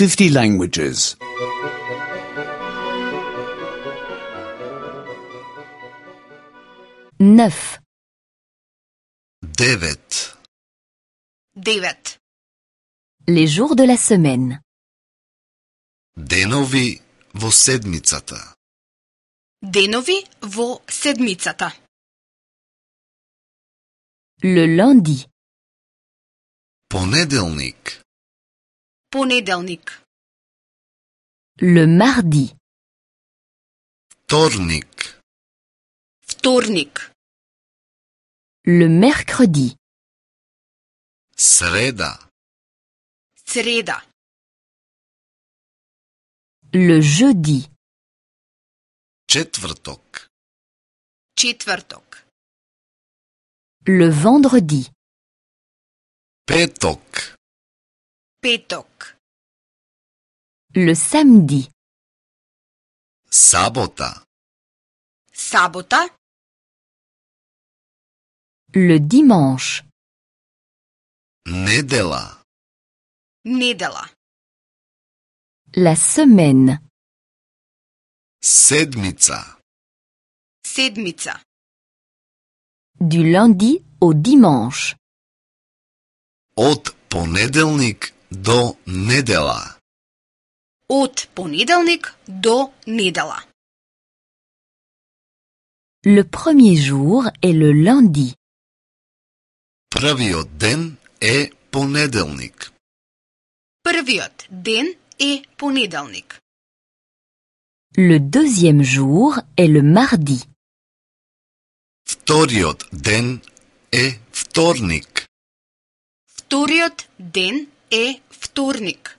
50 languages. 9. 9. 9. Les jours de la semaine. Денови во седмицата. Денови во седмицата. Le lundi. Понеделник. Понеделник. Le mardi. Вторник. Вторник. Le mercredi. Среда. Среда. Le jeudi. Четврток. Четврток. Le vendredi. Петок. Петок. Le samedi. Сабота. Сабота. Le dimanche. Недела. Недела. La semaine. Седмица. Седмица. Du lundi au dimanche. Од понеделник до недела. Од понеделник до недела. Le premier jour est le lundi. Првиот ден е понеделник. Првиот ден е понеделник. Le deuxième jour est le mardi. Вториот ден е вторник. Вториот ден е вторник.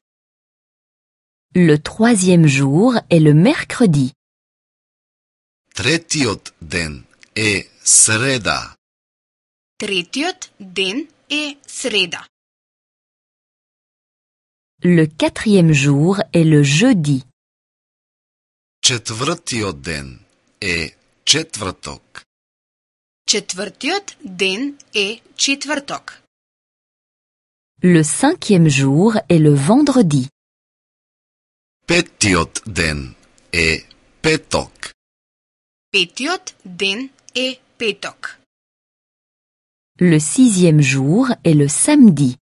Le troisième jour est le mercredi. Третиот ден е среда. Третиот ден е среда. Le quatrième jour est le jeudi. Четвртиот ден е четврток. Четвртиот ден е четврток. Le cinquième jour est le vendredi. Петиот ден е петок. Петиот ден е петок. Le sixième jour est le samedi.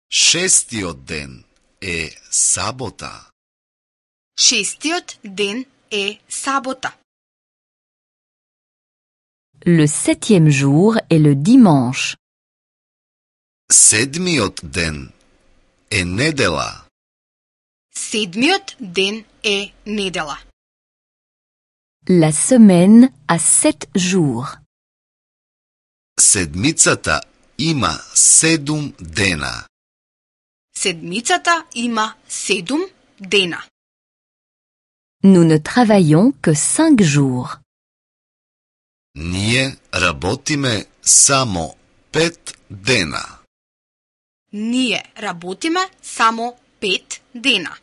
Шестиот ден е сабота. Шестиот ден е сабота. Le septième jour est le dimanche. Седмиот ден е недела. Седмиот ден е недела. La semaine a 7 jours. Седмицата има 7 дена. Седмицата има 7 дена. Nous ne travaillons que 5 jours. Ние работиме само 5 дена. Ние работиме само 5 дена.